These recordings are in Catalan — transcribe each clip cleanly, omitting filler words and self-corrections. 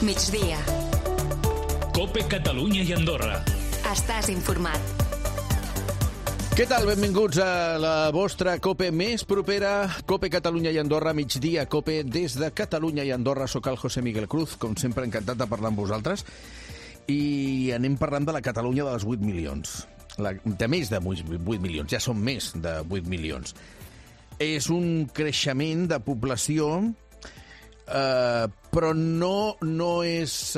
Migdia. COPE Catalunya i Andorra. Estàs informat. Què tal? Benvinguts a la vostra COPE més propera, COPE Catalunya i Andorra, migdia, COPE des de Catalunya i Andorra. Soc el José Miguel Cruz, com sempre encantat de parlar amb vosaltres. I anem parlant de la Catalunya dels 8 milions. De més de 8 milions, ja són més de 8 milions. És un creixement de població, però no és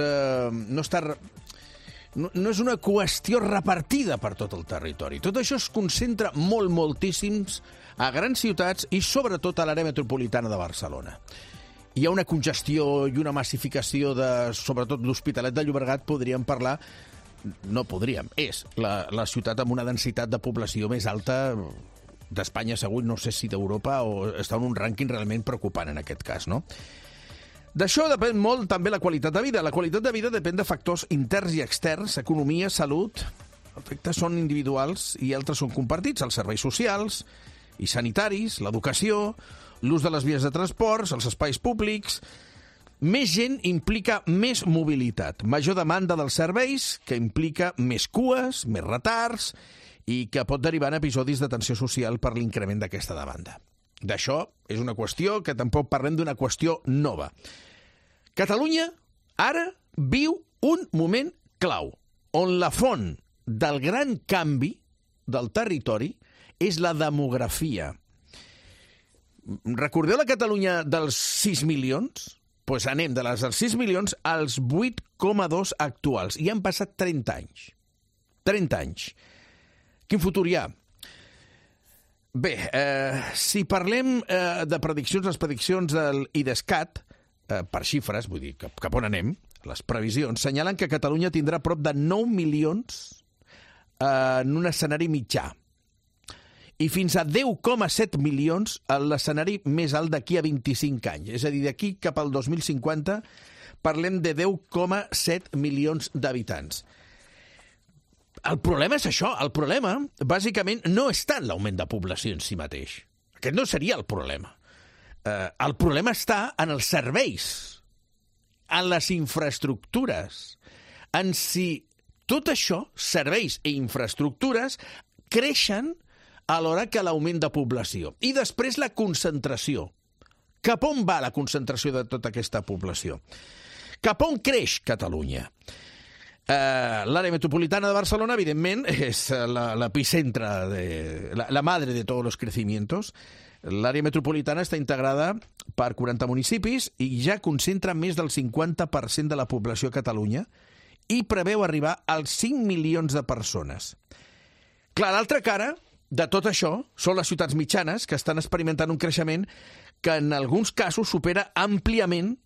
una qüestió repartida per tot el territori. Tot això es concentra moltíssims a grans ciutats i sobretot a l'àrea metropolitana de Barcelona. Hi ha una congestió i una massificació sobretot l'Hospitalet de Llobregat, és la ciutat amb una densitat de població més alta d'Espanya, segur, no sé si d'Europa, o està en un rànquing realment preocupant en aquest cas, no? D'això depèn molt també la qualitat de vida. La qualitat de vida depèn de factors interns i externs, economia, salut. Els efectes són individuals i altres són compartits, els serveis socials i sanitaris, l'educació, l'ús de les vies de transports, els espais públics. Més gent implica més mobilitat, major demanda dels serveis, que implica més cues, més retards, i que pot derivar en episodis de tensió social per l'increment d'aquesta demanda. D'això és una qüestió que tampoc parlem d'una qüestió nova. Catalunya ara viu un moment clau, on la font del gran canvi del territori és la demografia. Recordeu la Catalunya dels 6 milions? Doncs anem de les dels 6 milions als 8,2 actuals. I han passat 30 anys. 30 anys. Quin futur hi ha? Bé, si parlem de prediccions, les prediccions del IDESCAT, per xifres, vull dir, cap on anem, les previsions, senyalen que Catalunya tindrà prop de 9 milions en un escenari mitjà i fins a 10,7 milions en l'escenari més alt d'aquí a 25 anys. És a dir, d'aquí cap al 2050 parlem de 10,7 milions d'habitants. El problema és això. El problema, bàsicament, no és tant l'augment de població en si mateix. Aquest no seria el problema. El problema està en els serveis, en les infraestructures, en si tot això, serveis i infraestructures, creixen alhora que l'augment de població. I després la concentració. Cap on va la concentració de tota aquesta població? Cap on creix Catalunya? L'àrea metropolitana de Barcelona, evidentment, és l'epicentre, la madre de tots els crecimientos. L'àrea metropolitana està integrada per 40 municipis i ja concentra més del 50% de la població a Catalunya i preveu arribar als 5 milions de persones. Clar, l'altra cara de tot això són les ciutats mitjanes, que estan experimentant un creixement que en alguns casos supera àmpliament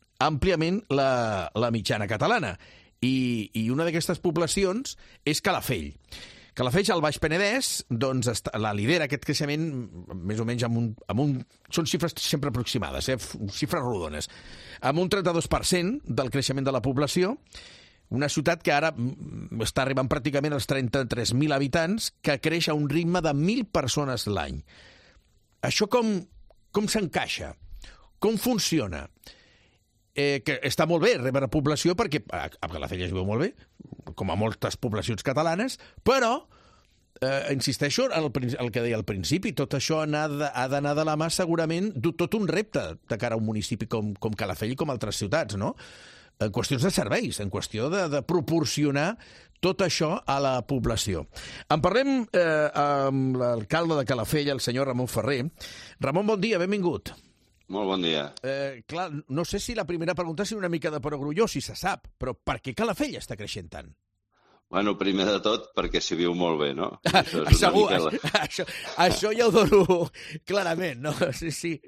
la mitjana catalana. I una d'aquestes poblacions és Calafell. Calafell, al Baix Penedès, doncs la lidera aquest creixement més o menys són xifres sempre aproximades, xifres rodones, amb un 32% del creixement de la població, una ciutat que ara està arribant pràcticament als 33.000 habitants, que creix a un ritme de 1.000 persones l'any. Això com s'encaixa? Com funciona? Que està molt bé rebre població perquè a Calafell es viu molt bé, com a moltes poblacions catalanes, però, insisteixo en el que deia al principi, tot això ha d'anar de la mà segurament tot un repte de cara a un municipi com Calafell i com altres ciutats, no? En qüestions de serveis, en qüestió de proporcionar tot això a la població. En parlem amb l'alcalde de Calafell, el senyor Ramon Ferrer. Ramon, bon dia, benvingut. Molt bon dia. Clar, no sé si la primera pregunta és una mica de perogrulló, si se sap, però per què Calafell està creixent tant? Bueno, primer de tot, perquè s'hi viu molt bé, no? Segur, això ja ho dono clarament, no? Sí.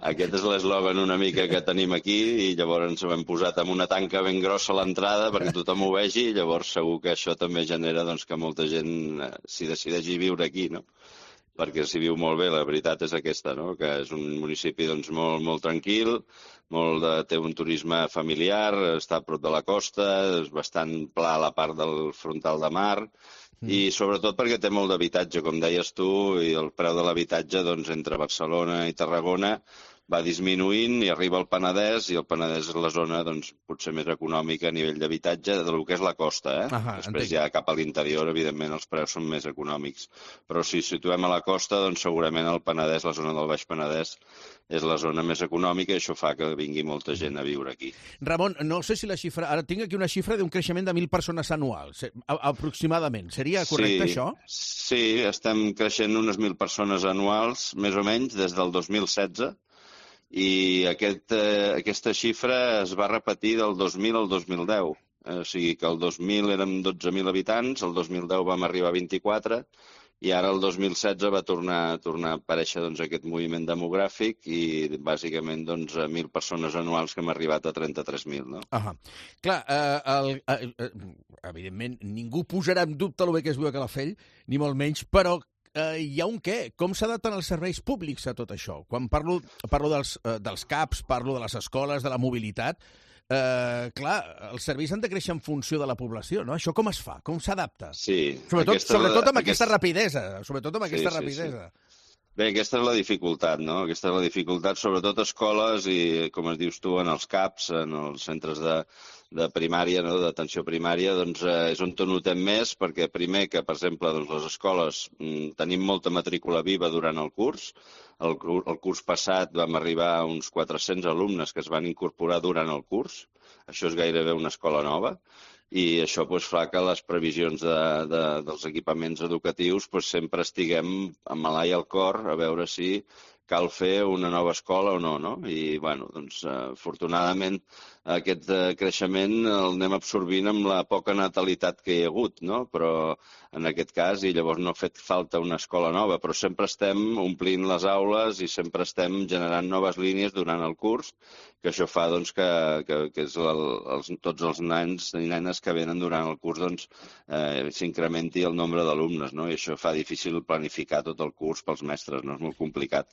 Aquest és l'eslògan una mica que tenim aquí i llavors ens ho hem posat amb una tanca ben grossa a l'entrada perquè tothom ho vegi i llavors segur que això també genera que molta gent s'hi decideixi viure aquí, no? Perquè s'hi viu molt bé, la veritat és aquesta, no? Que és un municipi molt tranquil, té un turisme familiar, està a prop de la costa, és bastant pla a la part del frontal de mar, i sobretot perquè té molt d'habitatge, com deies tu, i el preu de l'habitatge entre Barcelona i Tarragona va disminuint i arriba al Penedès, i el Penedès és la zona doncs, potser més econòmica a nivell d'habitatge del que és la costa. Després ja cap a l'interior, evidentment, els preus són més econòmics. Però si situem a la costa, doncs segurament el Penedès, la zona del Baix Penedès, és la zona més econòmica i això fa que vingui molta gent a viure aquí. Ramon, no sé si la xifra... Ara tinc aquí una xifra d'un creixement de 1.000 persones anuals, aproximadament. Seria correcte, això? Sí, estem creixent unes 1.000 persones anuals, més o menys, des del 2016, i aquesta xifra es va repetir del 2000 al 2010. O sigui que el 2000 érem 12.000 habitants, el 2010 vam arribar a 24, i ara el 2016 va tornar a aparèixer doncs, aquest moviment demogràfic i bàsicament 1.000 persones anuals que hem arribat a 33.000. No? Clar, evidentment, ningú posarà en dubte el bé que es viu a Calafell, ni molt menys, però hi ha un què? Com s'adapten els serveis públics a tot això? Quan parlo dels CAPs, parlo de les escoles, de la mobilitat, clar, els serveis han de créixer en funció de la població, no? Això com es fa? Com s'adapta? Sí. Sobretot amb aquesta rapidesa. Bé, aquesta és la dificultat, no? Aquesta és la dificultat, sobretot a escoles i, com es dius tu, en els CAPs, en els centres de primària, no? D'atenció primària, doncs és on notem més, perquè primer que, per exemple, doncs, les escoles tenim molta matrícula viva durant el curs. El curs passat vam arribar a uns 400 alumnes que es van incorporar durant el curs. Això és gairebé una escola nova. I això fa que les previsions dels equipaments educatius sempre estiguem amb l'ala i el cor a veure si cal fer una nova escola o no, no? I, doncs, afortunadament, aquest creixement el anem absorbint amb la poca natalitat que hi ha hagut, no? Però en aquest cas, i llavors no ha fet falta una escola nova, però sempre estem omplint les aules i sempre estem generant noves línies durant el curs, que això fa doncs, que tots els nens i nenes que venen durant el curs doncs, s'incrementi el nombre d'alumnes, no? I això fa difícil planificar tot el curs pels mestres, no? És molt complicat.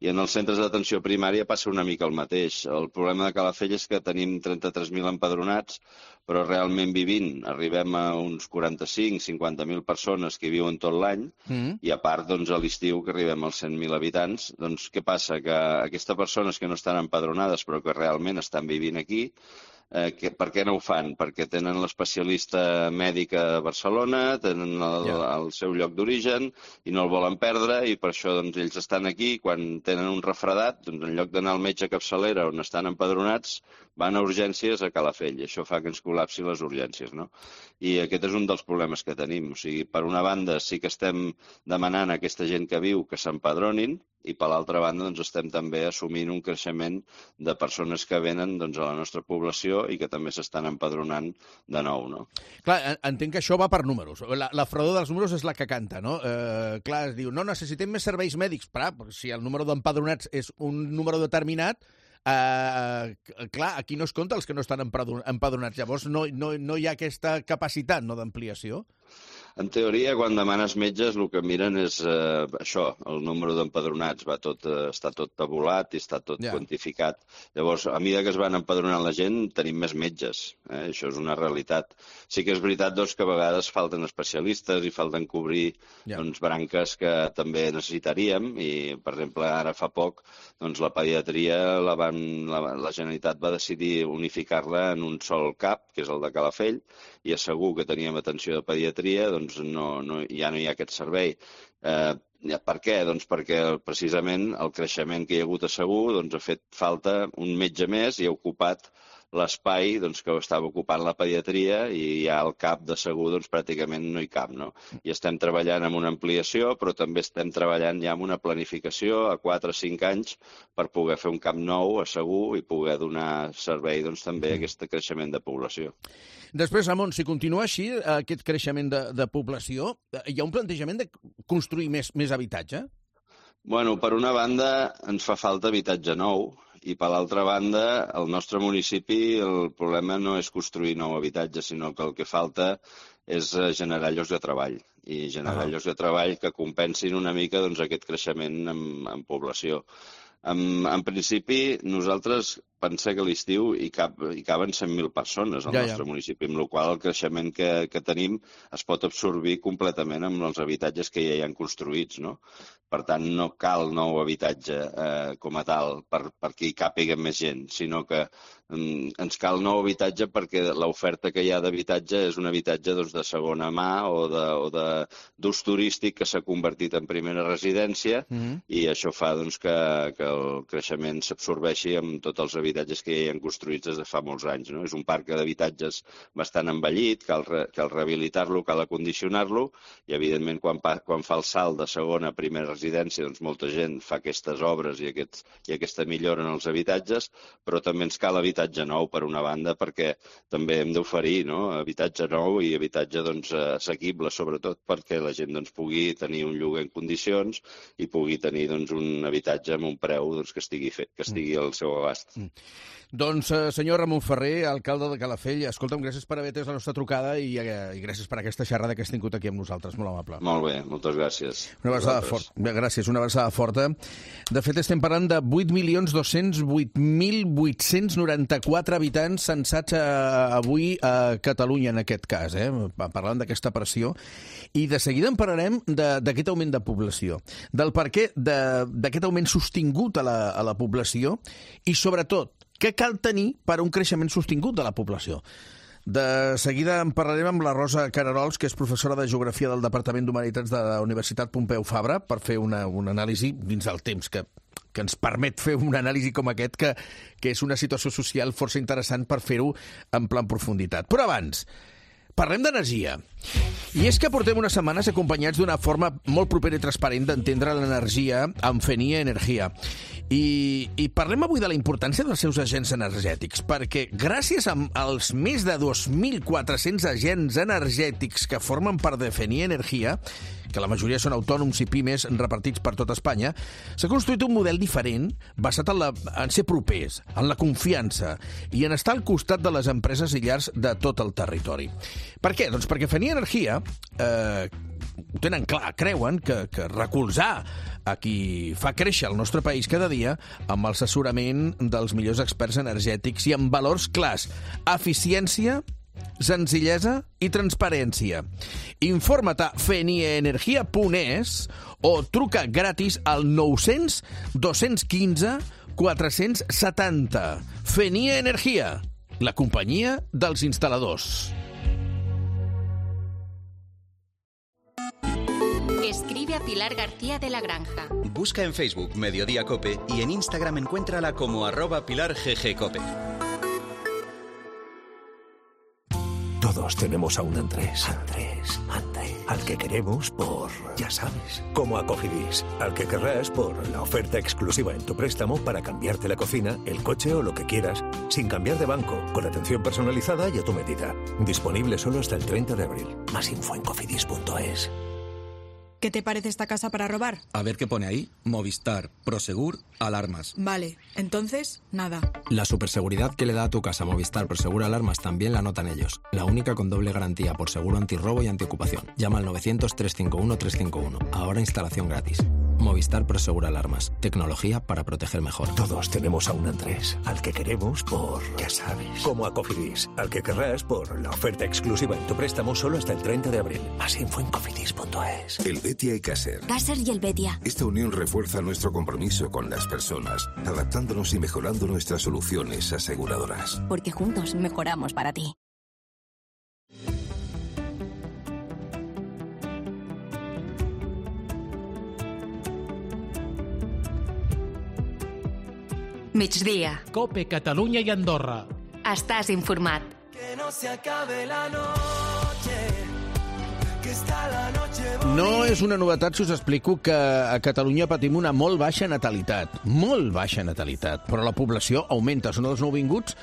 I en els centres d'atenció primària passa una mica el mateix. El problema de Calafell és que tenim 33.000 empadronats, però realment vivint arribem a uns 45-50.000 persones que viuen tot l'any, i a part doncs, a l'estiu que arribem als 100.000 habitants. Doncs què passa? Que aquestes persones que no estan empadronades però que realment estan vivint aquí, per què no ho fan? Perquè tenen l'especialista mèdic a Barcelona, tenen el seu lloc d'origen i no el volen perdre, i per això doncs, ells estan aquí. Quan tenen un refredat, doncs, en lloc d'anar al metge a capçalera on estan empadronats, van a urgències a Calafell. Això fa que ens col·lapsi les urgències, no? I aquest és un dels problemes que tenim. O sigui, per una banda sí que estem demanant a aquesta gent que viu que s'empadronin, i per l'altra banda doncs, estem també assumint un creixement de persones que venen doncs, a la nostra població i que també s'estan empadronant de nou, no? Clar, entenc que això va per números. La fredor dels números és la que canta, no? Clar, es diu, no, necessitem més serveis mèdics. Perquè si el número d'empadronats és un número determinat, clar, aquí no es compta els que no estan empadronats. Llavors no hi ha aquesta capacitat, no, d'ampliació. En teoria, quan demanes metges, el que miren és això, el número d'empadronats. Està tot tabulat i està tot quantificat. Llavors, a mesura que es van empadronant la gent, tenim més metges. Això és una realitat. Sí que és veritat doncs, que a vegades falten especialistes i falten cobrir branques que també necessitaríem. I, per exemple, ara fa poc, doncs, la pediatria, la Generalitat va decidir unificar-la en un sol CAP, que és el de Calafell, i és segur que teníem atenció de pediatria, doncs ja no hi ha aquest servei. Per què? Doncs perquè precisament el creixement que hi ha hagut a Segur doncs, ha fet falta un metge més i ha ocupat l'espai doncs, que estava ocupant la pediatria, i ja al CAP de Segur doncs, pràcticament no hi cap. No? I estem treballant amb una ampliació, però també estem treballant ja amb una planificació a 4 o 5 anys per poder fer un CAP nou a Segur i poder donar servei doncs, també a aquest creixement de població. Després, Ramon, si continua així, aquest creixement de població, hi ha un plantejament de construir més habitatge? Bueno, per una banda, ens fa falta habitatge nou, i per l'altra banda, al nostre municipi el problema no és construir nou habitatge, sinó que el que falta és generar llocs de treball, i generar llocs de treball que compensin una mica doncs, aquest creixement en població. En principi, nosaltres pensa que a l'estiu hi caben 100.000 persones al nostre municipi, amb la qual el creixement que tenim es pot absorbir completament amb els habitatges que ja hi han construïts, no? Per tant, no cal nou habitatge com a tal perquè hi càpiga més gent, sinó que ens cal nou habitatge perquè l'oferta que hi ha d'habitatge és un habitatge de segona mà o d'ús turístic que s'ha convertit en primera residència i això fa que el creixement s'absorbeixi amb tots els habitatges que hi han construïts des de fa molts anys. És un parc d'habitatges bastant envellit, cal rehabilitar-lo, cal acondicionar-lo i, evidentment, quan fa el salt de segona a primera residència, molta gent fa aquestes obres i aquesta millora en els habitatges, però també ens cal habitatge nou, per una banda, perquè també hem d'oferir habitatge nou i habitatge assequible, sobretot perquè la gent pugui tenir un lloguer en condicions i pugui tenir un habitatge amb un preu que estigui al seu abast. Doncs, senyor Ramon Ferrer, alcalde de Calafell, escolta'm, gràcies per haver atès la nostra trucada i gràcies per aquesta xerrada que has tingut aquí amb nosaltres, molt amable. Molt bé, moltes gràcies. Una abraçada forta. Gràcies, una abraçada forta. De fet, estem parlant de 8.208.894 habitants censats avui a Catalunya, en aquest cas, parlant d'aquesta pressió. I de seguida en parlarem d'aquest augment de població, del perquè d'aquest augment sostingut a la població i, sobretot, què cal tenir per a un creixement sostingut de la població. De seguida en parlarem amb la Rosa Cararols, que és professora de Geografia del Departament d'Humanitats de la Universitat Pompeu Fabra, per fer una anàlisi dins del temps que ens permet fer una anàlisi com aquest, que és una situació social força interessant per fer-ho en plan profunditat. Però abans, parlem d'energia. I és que portem unes setmanes acompanyats d'una forma molt propera i transparent d'entendre l'energia amb Fennia Energia. I parlem avui de la importància dels seus agents energètics, perquè gràcies als més de 2.400 agents energètics que formen part de Fennia Energia, que la majoria són autònoms i pimes repartits per tot Espanya, s'ha construït un model diferent basat en ser propers, en la confiança i en estar al costat de les empreses i llars de tot el territori. Per què? Doncs perquè Fennia Energia ho tenen clar, creuen que recolzar a qui fa créixer el nostre país cada dia amb l'assessorament dels millors experts energètics i amb valors clars: eficiència, senzillesa i transparència. Informa't a feniaenergia.es o truca gratis al 900 215 470. Fennia Energia, la companyia dels instal·ladors. Escribe a Pilar García de la Granja. Busca en Facebook Mediodía Cope y en Instagram encuéntrala como @PilarGGCope. Todos tenemos a un Andrés. Andrés. Al que queremos por, ya sabes, como a Cofidis. Al que querrás por la oferta exclusiva en tu préstamo para cambiarte la cocina, el coche o lo que quieras, sin cambiar de banco, con atención personalizada y a tu medida. Disponible solo hasta el 30 de abril. Más info en cofidis.es. ¿Qué te parece esta casa para robar? A ver qué pone ahí. Movistar, Prosegur, alarmas. Vale, entonces, nada. La superseguridad que le da a tu casa Movistar Prosegur Alarmas también la notan ellos. La única con doble garantía por seguro antirrobo y antiocupación. Llama al 900-351-351. Ahora instalación gratis. Movistar Prosegur Alarmas. Tecnología para proteger mejor. Todos tenemos a un Andrés. Al que queremos por, ya sabes, como a Cofidis. Al que querrás por la oferta exclusiva en tu préstamo solo hasta el 30 de abril. Más info en cofidis.es. El Betia y Caser. Caser y el Betia. Esta unión refuerza nuestro compromiso con las personas, adaptándonos y mejorando nuestras soluciones aseguradoras. Porque juntos mejoramos para ti. Migdia. Cope, Catalunya i Andorra. Estàs informat. Que no se acabe la noche, que está la noche bonita. No és una novetat si us explico que a Catalunya patim una molt baixa natalitat, però la població augmenta. Són els nouvinguts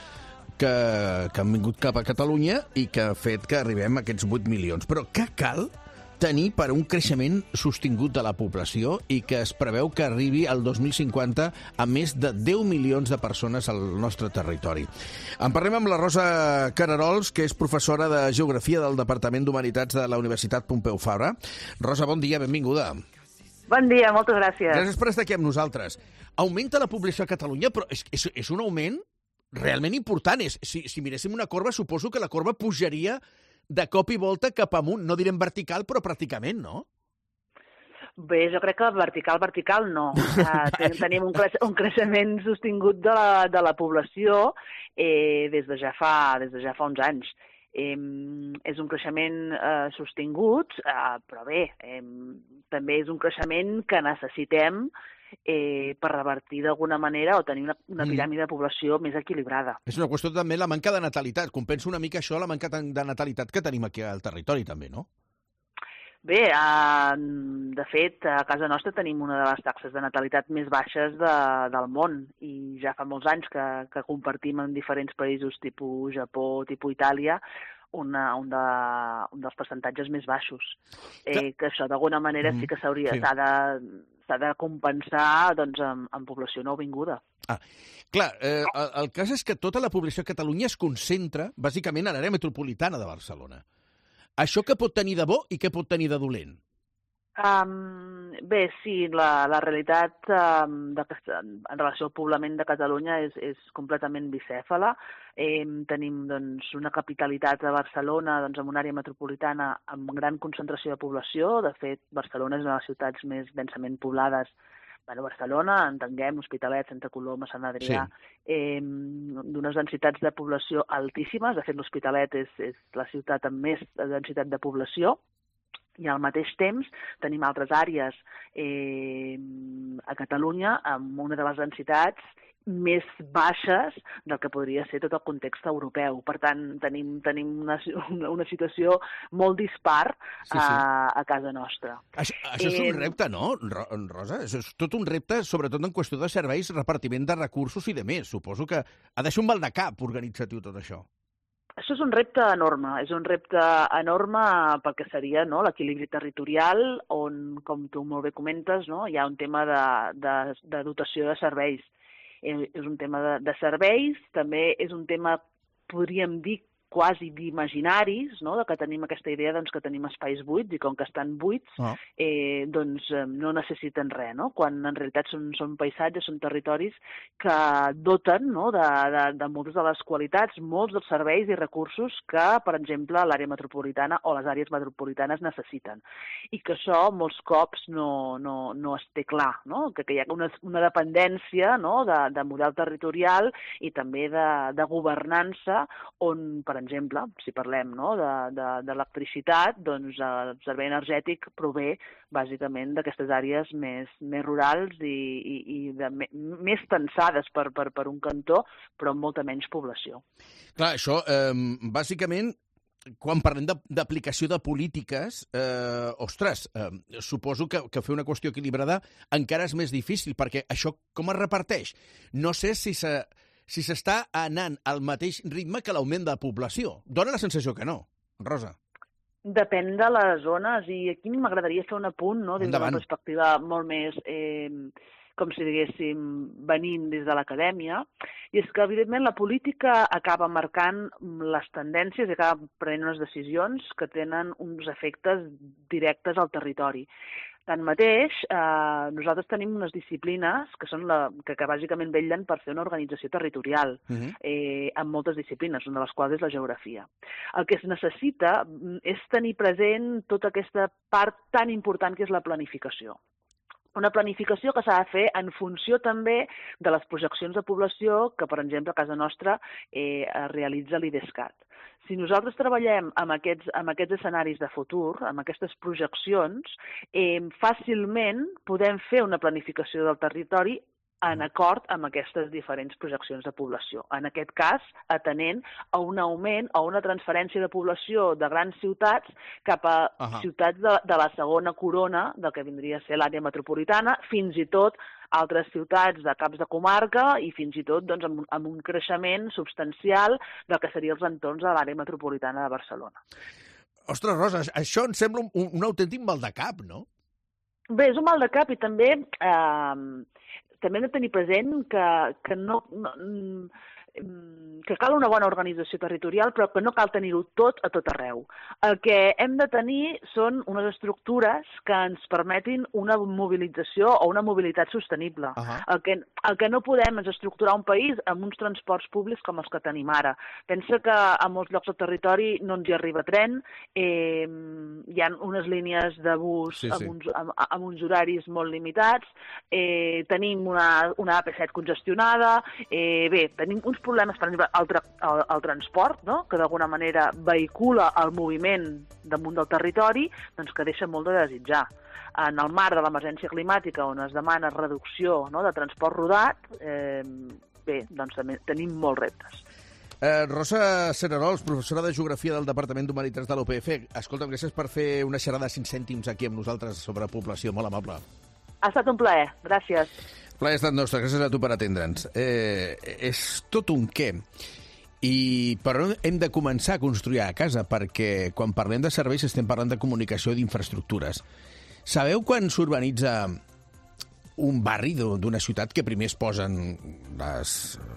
que han vingut cap a Catalunya i que ha fet que arribem a aquests 8 milions. Però què cal tenir per un creixement sostingut de la població i que es preveu que arribi al 2050 a més de 10 milions de persones al nostre territori. En parlem amb la Rosa Cararols, que és professora de Geografia del Departament d'Humanitats de la Universitat Pompeu Fabra. Rosa, bon dia, benvinguda. Bon dia, moltes gràcies. Gràcies per estar aquí amb nosaltres. Augmenta la població a Catalunya, però és un augment realment important. Si miréssim una corba, suposo que la corba pujaria de cop i volta cap amunt. No direm vertical, però pràcticament, no? Bé, jo crec que vertical no. Tenim un creixement sostingut de la població des de ja fa uns anys. És un creixement sostingut, però bé, també és un creixement que necessitem per revertir d'alguna manera o tenir una piràmide de població més equilibrada. És una qüestió també la manca de natalitat. Compensa una mica això, la manca de natalitat que tenim aquí al territori també, no? Bé, de fet, a casa nostra tenim una de les taxes de natalitat més baixes del món i ja fa molts anys que compartim en diferents països tipus Japó, tipus Itàlia, un dels percentatges més baixos. Que això d'alguna manera sí que s'ha de compensar doncs, amb població nouvinguda. Clar, el cas és que tota la població a Catalunya es concentra bàsicament a l'àrea metropolitana de Barcelona. Això què pot tenir de bo i què pot tenir de dolent? Bé, sí, la realitat en relació al poblament de Catalunya és completament bicèfala. Tenim doncs, una capitalitat a Barcelona amb una àrea metropolitana amb gran concentració de població. De fet, Barcelona és una de les ciutats més densament poblades. Barcelona, entenguem, Hospitalet, Santa Coloma, Sant Adrià, d'unes densitats de població altíssimes. De fet, l'Hospitalet és la ciutat amb més densitat de població. I al mateix temps tenim altres àrees a Catalunya amb una de les densitats més baixes del que podria ser tot el context europeu. Per tant, tenim una situació molt dispar a casa nostra. Això és un repte, no, Rosa? Això és tot un repte, sobretot en qüestió de serveis, repartiment de recursos i de més. Suposo que ha de ser un maldecap organitzatiu tot això. Això és un repte enorme. És un repte enorme perquè seria l'equilibri territorial on, com tu molt bé comentes, hi ha un tema de dotació de serveis. És un tema de serveis, també és un tema, podríem dir, quasi d'imaginaris, de que tenim aquesta idea que tenim espais buits i com que estan buits no necessiten res, quan en realitat són paisatges, són territoris que doten de moltes de les qualitats, molts dels serveis i recursos que, per exemple, l'àrea metropolitana o les àrees metropolitanes necessiten. I que això molts cops no es té clar, que hi ha una dependència de model territorial i també de governança on, per exemple, si parlem d'electricitat, doncs el servei energètic prové bàsicament d'aquestes àrees més rurals i més tensades per un cantó, però amb molta menys població. Clar, això, bàsicament, quan parlem d'aplicació de polítiques, suposo que fer una qüestió equilibrada encara és més difícil, perquè això com es reparteix? No sé si s'està anant al mateix ritme que l'augment de la població. Dóna la sensació que no, Rosa. Depèn de les zones, i aquí m'agradaria fer un apunt des d'una perspectiva molt més, com si diguéssim, venint des de l'acadèmia, i és que, evidentment, la política acaba marcant les tendències i acaba prenent unes decisions que tenen uns efectes directes al territori. Tanmateix, nosaltres tenim unes disciplines que són que bàsicament vetllen per fer una organització territorial amb moltes disciplines, una de les quals és la geografia. El que es necessita és tenir present tota aquesta part tan important que és la planificació. Una planificació que s'ha de fer en funció també de les projeccions de població que, per exemple, a casa nostra realitza l'IDESCAT. Si nosaltres treballem amb aquests escenaris de futur, amb aquestes projeccions, fàcilment podem fer una planificació del territori en acord amb aquestes diferents projeccions de població. En aquest cas, atenent a un augment o una transferència de població de grans ciutats cap a ciutats de la segona corona del que vindria a ser l'àrea metropolitana, fins i tot altres ciutats de caps de comarca i fins i tot amb un creixement substancial del que serien els entorns de l'àrea metropolitana de Barcelona. Ostres, Rosa, això em sembla un autèntic maldecap, no? Bé, és un maldecap i també hem de tenir present que que cal una bona organització territorial, però que no cal tenir-ho tot a tot arreu. El que hem de tenir són unes estructures que ens permetin una mobilització o una mobilitat sostenible. El que no podem és estructurar un país amb uns transports públics com els que tenim ara. Pensa que a molts llocs del territori no ens hi arriba tren, hi ha unes línies de bus amb uns horaris molt limitats, tenim una AP7 congestionada, tenim uns problemes, per exemple, el transport, no? Que d'alguna manera vehicula el moviment damunt del territori, doncs que deixa molt de desitjar. En el marc de l'emergència climàtica, on es demana reducció, no?, de transport rodat, doncs també tenim molts reptes. Rosa Cererols, professora de Geografia del Departament d'Humanitats de l'UPF. Escolta'm, gràcies per fer una xerrada de 5 cèntims aquí amb nosaltres sobre població. Molt amable. Ha estat un plaer. Gràcies. El plaer ha estat nostre. Gràcies a tu per atendre'ns. És tot un què. I per on hem de començar a construir a casa? Perquè quan parlem de serveis estem parlant de comunicació i d'infraestructures. Sabeu quan s'urbanitza un barri d'una ciutat que primer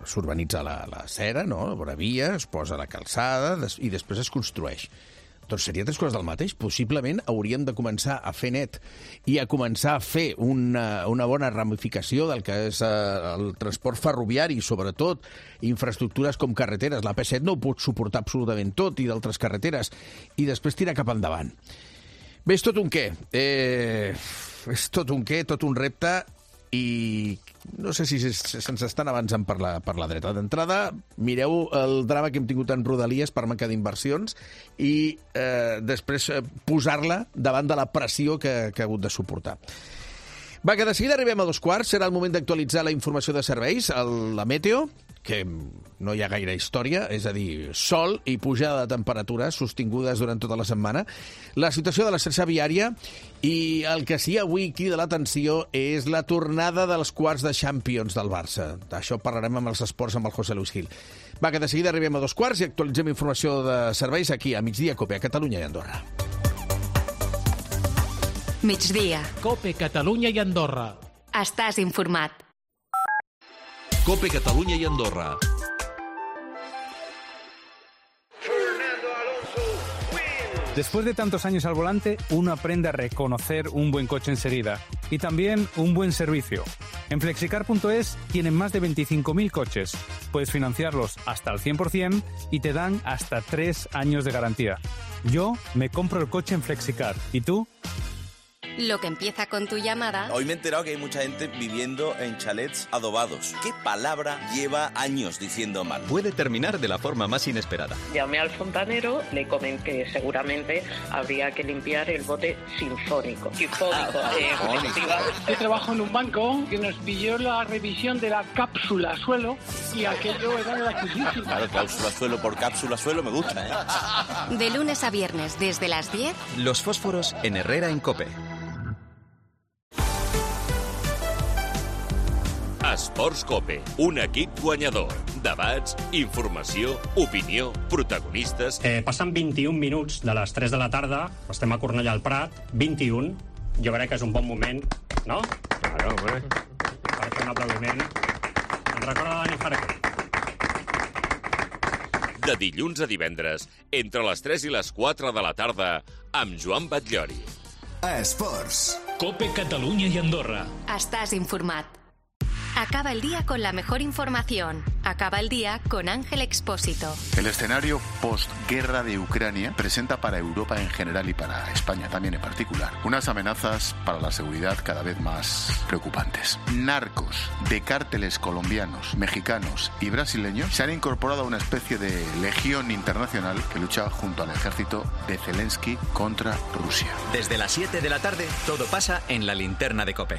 s'urbanitza la cera, no?, la vora via, es posa la calçada i després es construeix. Doncs seria tres coses del mateix. Possiblement hauríem de començar a fer net i a començar a fer una bona ramificació del que és el transport ferroviari, sobretot infraestructures com carreteres. La P7 no ho pot suportar absolutament tot, i d'altres carreteres, i després tirar cap endavant. Bé, és tot un què. És tot un què, tot un repte, i no sé si se'ns estan avançant per la dreta. D'entrada, mireu el drama que hem tingut en Rodalies per manca d'inversions i després posar-la davant de la pressió que ha hagut de suportar. Va, que de seguida arribem a 2:15. Serà el moment d'actualitzar la informació de serveis, la meteo, que no hi ha gaire història, és a dir, sol i pujada de temperatures sostingudes durant tota la setmana, la situació de la xarxa viària, i el que sí avui crida l'atenció és la tornada dels quarts de Champions del Barça. D'això parlarem amb els esports amb el José Luis Gil. Va, que de seguida arribem a 2:15 i actualitzem informació de serveis aquí a Migdia Cope, a Catalunya i Andorra. Migdia. Cope, Catalunya i Andorra. Estàs informat. Cope, Catalunya y Andorra. Después de tantos años al volante, uno aprende a reconocer un buen coche enseguida y también un buen servicio. En Flexicar.es tienen más de 25.000 coches. Puedes financiarlos hasta el 100% y te dan hasta 3 años de garantía. Yo me compro el coche en Flexicar. ¿Y tú? Lo que empieza con tu llamada... Hoy me he enterado que hay mucha gente viviendo en chalets adobados. ¿Qué palabra lleva años diciendo mal? Puede terminar de la forma más inesperada. Llamé al fontanero, le comenté que seguramente habría que limpiar el bote sinfónico. Yo trabajo en un banco que nos pilló la revisión de la cápsula suelo y aquello era gratuísimo. Claro, cápsula suelo por cápsula suelo me gusta, ¿eh? De lunes a viernes desde las 10. Los fósforos en Herrera en Cope. Esports Cope, un equip guanyador. Debats, informació, opinió, protagonistes... Passen 21 minuts de les 3 de la tarda, estem a Cornellà al Prat, 21. Jo crec que és un bon moment, no? Claro, hombre. Per fer un aplaudiment. Ens recorda Dani Farquer. De dilluns a divendres, entre les 3 i les 4 de la tarda, amb Joan Batllori. Esports. Cope, Catalunya y Andorra. Estás informat. Acaba el día con la mejor información. Acaba el día con Ángel Expósito. El escenario postguerra de Ucrania presenta para Europa en general y para España también en particular unas amenazas para la seguridad cada vez más preocupantes. Narcos de cárteles colombianos, mexicanos y brasileños se han incorporado a una especie de legión internacional que lucha junto al ejército de Zelensky contra Rusia. Desde las 7 de la tarde, todo pasa en la linterna de Cope.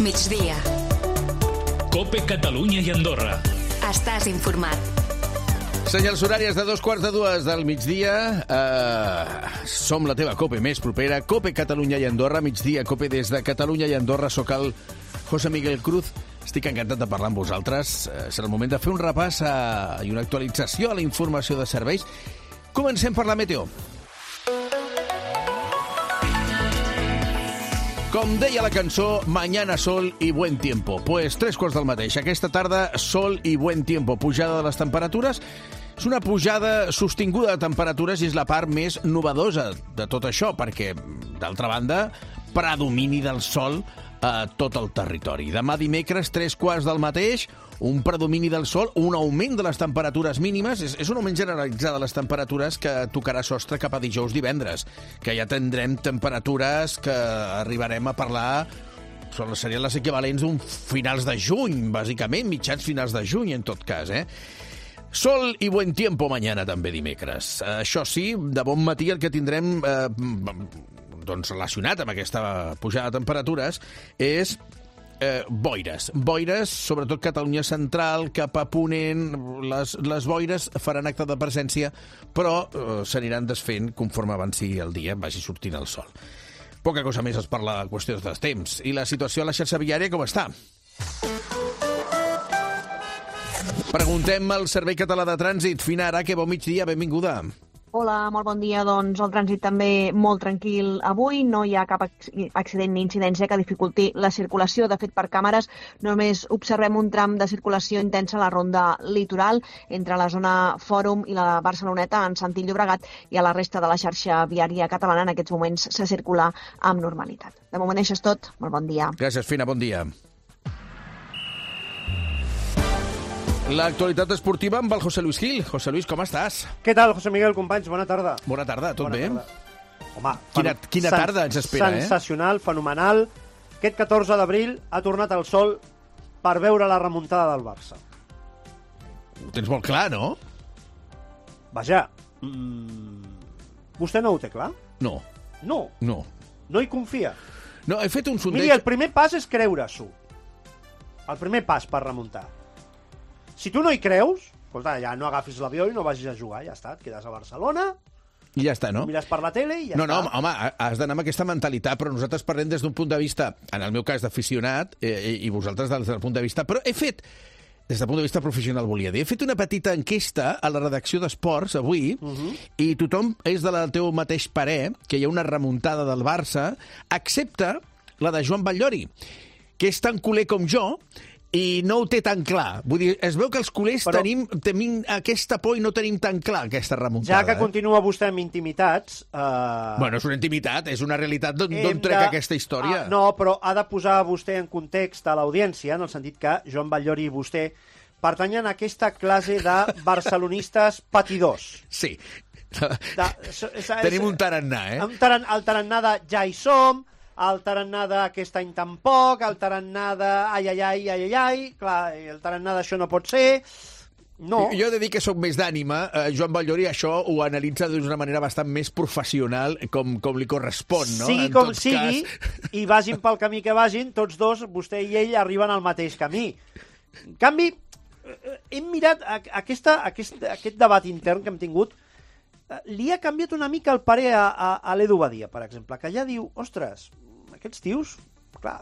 Migdia. Cope, Catalunya i Andorra. Estàs informat. Senyals horàries de 2:45 del migdia. Som la teva Cope més propera. Cope, Catalunya i Andorra. Migdia, Cope des de Catalunya i Andorra. Soc el José Miguel Cruz. Estic encantat de parlar amb vosaltres. Serà el moment de fer un repàs i una actualització a la informació de serveis. Comencem per la meteo. Com deia la cançó, mañana sol y buen tiempo. Pues 3 del mateix. Aquesta tarda, sol y buen tiempo. Pujada de les temperatures. És una pujada sostinguda de temperatures i és la part més novedosa de tot això, perquè, d'altra banda, predomini del sol a tot el territori. Demà dimecres, 3 del mateix, un predomini del sol, un augment de les temperatures mínimes, és un augment generalitzat de les temperatures que tocarà sostre cap a dijous-divendres, que ja tindrem temperatures que arribarem a parlar, serien les equivalents d'un finals de juny, bàsicament, mitjans finals de juny, en tot cas, Sol y buen tiempo mañana també dimecres. Això sí, de bon matí el que tindrem relacionat amb aquesta pujada de temperatures és boires. Boires, sobretot Catalunya central, cap a ponent. Les boires faran acte de presència, però s'aniran desfent conforme avanci el dia, vagi sortint el sol. Poca cosa més es parla de qüestions de temps. I la situació a la xarxa viària com està? Preguntem al Servei Català de Trànsit. Fina Araque, bon migdia, benvinguda. Hola, molt bon dia. Doncs el trànsit també molt tranquil avui. No hi ha cap accident ni incidència que dificulti la circulació. De fet, per càmeres només observem un tram de circulació intensa a la ronda litoral entre la zona Fòrum i la Barceloneta en sentit Llobregat, i a la resta de la xarxa viària catalana en aquests moments se circula amb normalitat. De moment això és tot. Molt bon dia. Gràcies, Fina. Bon dia. L'actualitat esportiva amb el José Luis Gil. José Luis, com estàs? Què tal, José Miguel, companys? Bona tarda. Bona tarda, tot bé? Home, quina tarda ens espera, sensacional, fenomenal. Aquest 14 d'abril ha tornat el sol per veure la remuntada del Barça. Ho tens molt clar, no? Vaja, vostè no ho té clar? No. No? No. No hi confia? No, he fet un sondeig... Miri, el primer pas és creure-s'ho. El primer pas per remuntar. Si tu no hi creus, escolta, ja no agafis l'avió i no vagis a jugar, ja està, et quedes a Barcelona, i ja està, no? Mires per la tele i ja està. No, home, has d'anar amb aquesta mentalitat, però nosaltres parlem des d'un punt de vista, en el meu cas, d'aficionat, i vosaltres des del punt de vista... Però he fet, des del punt de vista professional, volia dir, he fet una petita enquesta a la redacció d'Esports avui, i tothom és del teu mateix parer, que hi ha una remuntada del Barça, excepte la de Joan Batllori, que és tan culer com jo, i no ho té tan clar. Vull dir, es veu que els culers tenim aquesta por i no tenim tan clar aquesta remuntada. Ja que continua vostè amb intimitats... Bueno, és una intimitat, és una realitat d'on trec aquesta història. No, però ha de posar vostè en context a l'audiència, en el sentit que Joan Batllori i vostè pertanyen a aquesta classe de barcelonistes patidors. Sí. Tenim un tarannà, El tarannà de ja hi som, el tarannà d'aquest any tampoc, el tarannà de ai, clar, el tarannà d'això no pot ser, no. Jo he de dir que soc més d'ànima, Joan Batllori això ho analitza d'una manera bastant més professional, com li correspon, no? Sigui com sigui, i vagin pel camí que vagin, tots dos, vostè i ell, arriben al mateix camí. En canvi, hem mirat aquest debat intern que hem tingut, li ha canviat una mica el parer a l'Edu Badia, per exemple, que ja diu, ostres, aquests tios, clar,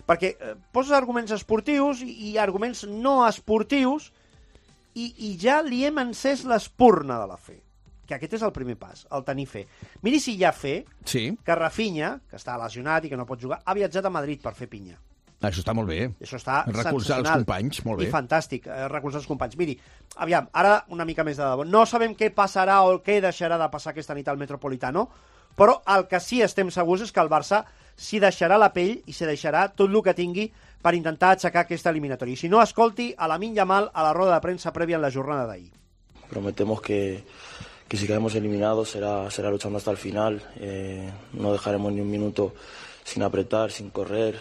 perquè poses arguments esportius i arguments no esportius i ja li hem encès l'espurna de la fe, que aquest és el primer pas, el tenir fe. Miri si hi ha fe que Rafinha, que està lesionat i que no pot jugar, ha viatjat a Madrid per fer pinya. Això està molt bé. Això està recolzar els companys, molt bé. I fantàstic, recolzar els companys. Miri, aviam, ara una mica més de debò. No sabem què passarà o què deixarà de passar aquesta nit al Metropolitano, però el que sí estem segurs és que el Barça s'hi deixarà la pell i s'hi deixarà tot el que tingui per intentar aixecar aquesta eliminatòria. I si no, escolti a Lamine Yamal a la roda de premsa prèvia en la jornada d'ahir. Prometemos que si caemos eliminados será luchando hasta el final. No dejaremos ni un minuto sin apretar, sin correr,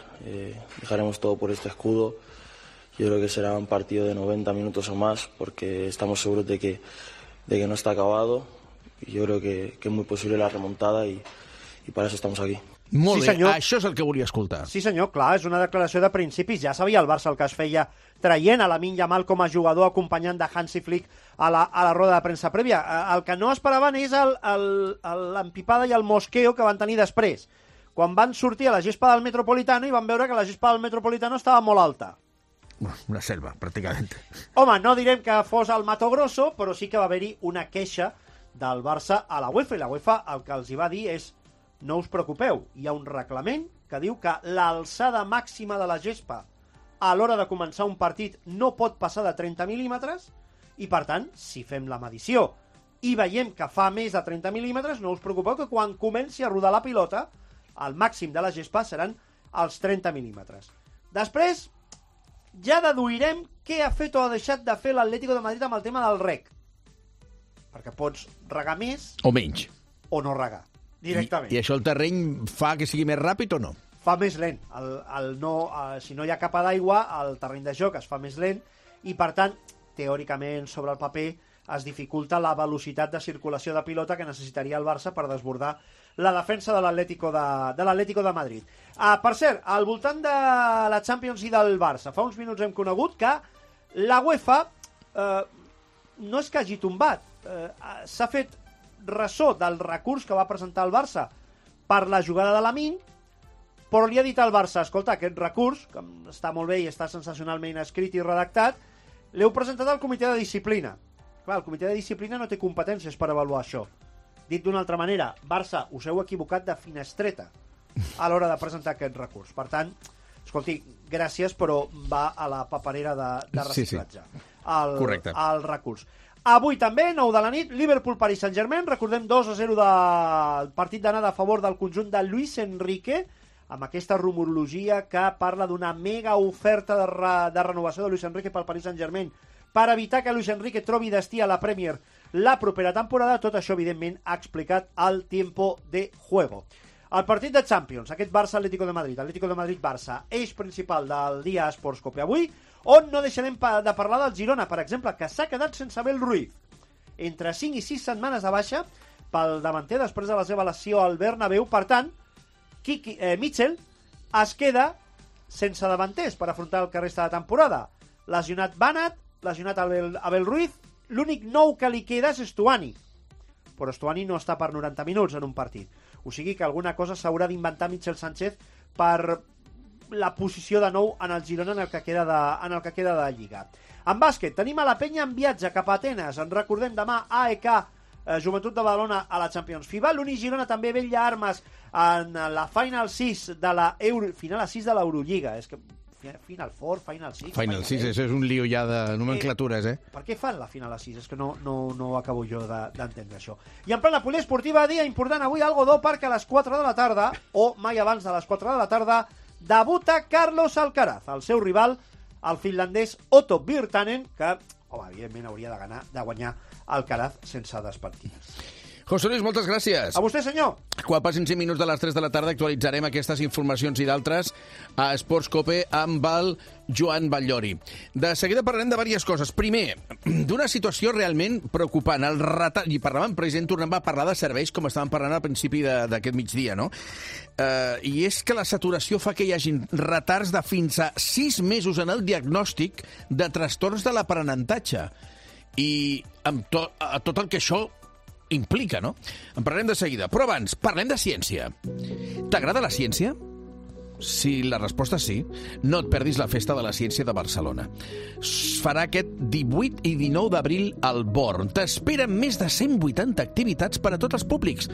dejaremos todo por este escudo. Yo creo que será un partido de 90 minutos o más, porque estamos seguros de que no está acabado, y yo creo que es muy posible la remontada, y para eso estamos aquí. Molt bé, això és el que volia escoltar. Sí senyor, clar, és una declaració de principis. Ja sabia el Barça el que es feia traient a Lamine Yamal com a jugador acompanyant de Hansi Flick a la roda de premsa prèvia. El que no esperaven és l'empipada i el mosqueo que van tenir després, quan van sortir a la gespa del Metropolitano i van veure que la gespa del Metropolitano estava molt alta. Una selva, pràcticament. Home, no direm que fos el Mato Grosso, però sí que va haver-hi una queixa del Barça a la UEFA, i la UEFA el que els hi va dir és: no us preocupeu, hi ha un reglament que diu que l'alçada màxima de la gespa a l'hora de començar un partit no pot passar de 30 mil·límetres, i per tant, si fem la medició i veiem que fa més de 30 mil·límetres, no us preocupeu que quan comenci a rodar la pilota, el màxim de la gespa seran els 30 mil·límetres. Després, ja deduirem què ha fet o ha deixat de fer l'Atlético de Madrid amb el tema del reg. Perquè pots regar més... O menys. O no regar, directament. I això el terreny fa que sigui més ràpid o no? Fa més lent. Si no hi ha capa d'aigua, el terreny de joc es fa més lent i, per tant, teòricament, sobre el paper, es dificulta la velocitat de circulació de pilota que necessitaria el Barça per desbordar la defensa de l'Atlético de Madrid. Per cert, al voltant de la Champions i del Barça, fa uns minuts hem conegut que la UEFA no és que hagi tombat, s'ha fet ressò del recurs que va presentar el Barça per la jugada de Lamine, però li ha dit al Barça: escolta, aquest recurs, que està molt bé i està sensacionalment escrit i redactat, l'heu presentat al comitè de disciplina. Clar, el comitè de disciplina no té competències per avaluar això. Dit d'una altra manera, Barça, us heu equivocat de finestreta a l'hora de presentar aquest recurs. Per tant, escolti, gràcies, però va a la paperera de reciclatge. Correcte. El recurs. Avui també, 9 de la nit, Liverpool-Paris Saint-Germain. Recordem 2-0 del partit d'anada a favor del conjunt de Luis Enrique, amb aquesta rumorologia que parla d'una mega oferta de renovació de Luis Enrique pel Paris Saint-Germain per evitar que Luis Enrique trobi destí a la Premier la propera temporada. Tot això, evidentment, ha explicat el Tiempo de Juego. El partit de Champions, aquest Barça-Atlético de Madrid, Atlético de Madrid-Barça, eix principal del dia Esports Cope avui, on no deixarem de parlar del Girona, per exemple, que s'ha quedat sense Abel Ruiz. Entre 5 i 6 setmanes de baixa pel davanter després de la seva lesió al Bernabéu. Per tant, Mitchell es queda sense davanters per afrontar el que resta de temporada. Lesionat Banat, lesionat Abel Ruiz, l'únic nou que li queda és Stuani. Però Stuani no està per 90 minuts en un partit. O sigui que alguna cosa s'haurà d'inventar Michel Sánchez per la posició de nou en el Girona en el que queda de Lliga. En bàsquet, tenim a la Penya en viatge cap a Atenes. En recordem demà AEK Joventut de Badalona a la Champions FIBA. L'Uni Girona també vetlla armes en la Final 6 de l'Eurolliga. És que Final 4, Final 6... Final 6, això és un lío ja de nomenclatures, Per què fan la Final 6? És que no acabo jo d'entendre això. I en plena poliesportiva, dia important avui al Godó, perquè a les 4 de la tarda, o mai abans de les 4 de la tarda, debuta Carlos Alcaraz, el seu rival, el finlandès Otto Virtanen, que, evidentment, hauria de guanyar Alcaraz sense despentines. José Luis, moltes gràcies. A vostè, senyor. Quan passin 5 minuts de les 3 de la tarda actualitzarem aquestes informacions i d'altres a Esports Cope amb el Joan Batllori. De seguida parlarem de diverses coses. Primer, d'una situació realment preocupant. I parlàvem, president, tornem a parlar de serveis, com estàvem parlant al principi d'aquest migdia, no? I és que la saturació fa que hi hagin retards de fins a 6 mesos en el diagnòstic de trastorns de l'aprenentatge. I amb tot el que això implica, no? En parlarem de seguida. Però abans, parlem de ciència. T'agrada la ciència? Si la resposta és sí, no et perdis la Festa de la Ciència de Barcelona. Es farà aquest 18 i 19 d'abril al Born. T'esperen més de 180 activitats per a tots els públics.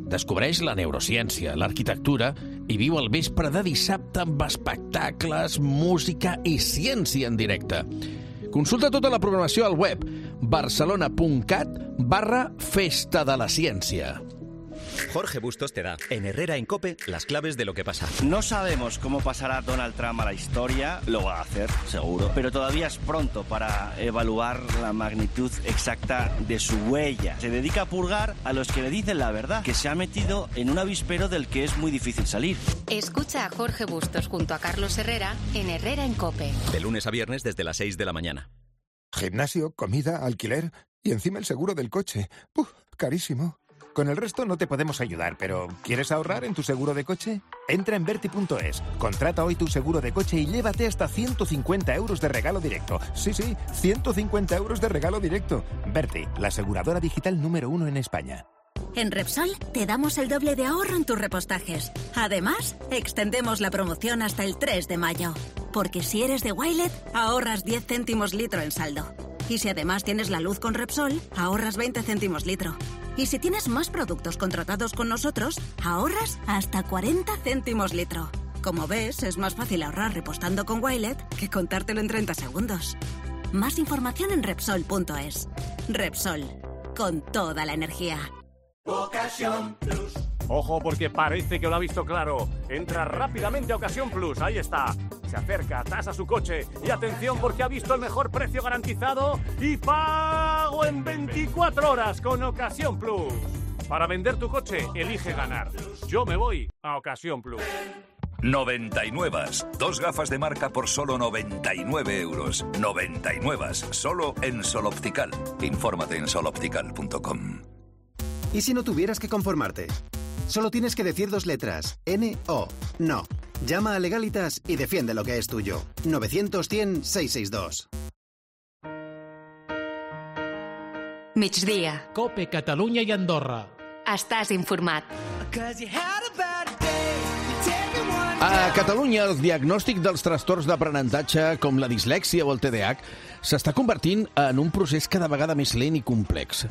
Descobreix la neurociència, l'arquitectura i viu el vespre de dissabte amb espectacles, música i ciència en directe. Consulta tota la programació al web barcelona.cat/Festa de la Ciència. Jorge Bustos te da, en Herrera en COPE, las claves de lo que pasa. No sabemos cómo pasará Donald Trump a la historia, lo va a hacer, seguro, pero todavía es pronto para evaluar la magnitud exacta de su huella. Se dedica a purgar a los que le dicen la verdad, que se ha metido en un avispero del que es muy difícil salir. Escucha a Jorge Bustos junto a Carlos Herrera en Herrera en COPE. De lunes a viernes desde las 6 de la mañana. Gimnasio, comida, alquiler y encima el seguro del coche. Carísimo. Con el resto no te podemos ayudar, pero ¿quieres ahorrar en tu seguro de coche? Entra en Verti.es, contrata hoy tu seguro de coche y llévate hasta 150 euros de regalo directo. Sí, 150 euros de regalo directo. Verti, la aseguradora digital número 1 en España. En Repsol te damos el doble de ahorro en tus repostajes. Además, extendemos la promoción hasta el 3 de mayo. Porque si eres de Wilet, ahorras 10 céntimos litro en saldo. Y si además tienes la luz con Repsol, ahorras 20 céntimos litro. Y si tienes más productos contratados con nosotros, ahorras hasta 40 céntimos litro. Como ves, es más fácil ahorrar repostando con Wilet que contártelo en 30 segundos. Más información en Repsol.es. Repsol, con toda la energía. Ocasión Plus. Ojo, porque parece que lo ha visto claro. Entra rápidamente a Ocasión Plus, ahí está. Se acerca, tasa su coche y atención porque ha visto el mejor precio garantizado y pago en 24 horas con Ocasión Plus. Para vender tu coche, elige ganar. Yo me voy a Ocasión Plus. 99. 2 gafas de marca por solo 99 euros. 99. Solo en Sol Optical. Infórmate en soloptical.com. ¿Y si no tuvieras que conformarte? Solo tienes que decir 2 letras. N-O. No. Llama a Legalitas y defiende lo que es tuyo. 900-100-662. Migdia. Cope Catalunya i Andorra. Estàs informat. A Catalunya, el diagnòstic dels trastorns d'aprenentatge, com la dislèxia o el TDAH, s'està convertint en un procés cada vegada més lent i complex.